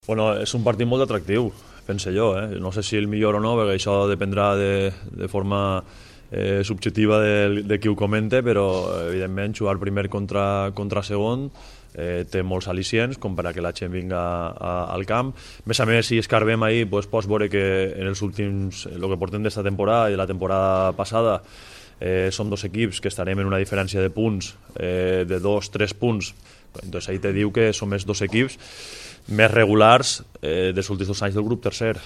Bueno, és un partit molt atractiu, pense jo. No sé si el millor o no, perquè això dependrà de forma subjectiva de qui ho comente, però evidentment jugar primer contra segon té molts al·licients com per a que la gent vinga al camp. A més, si escarbem ahir, pots veure que en els últims, el que portem d'esta temporada i de la temporada passada, som dos equips que estarem en una diferència de punts de 2-3 punts. Entonces ahí te diu que som els dos equips més regulars dels últims 2 anys del grup tercer.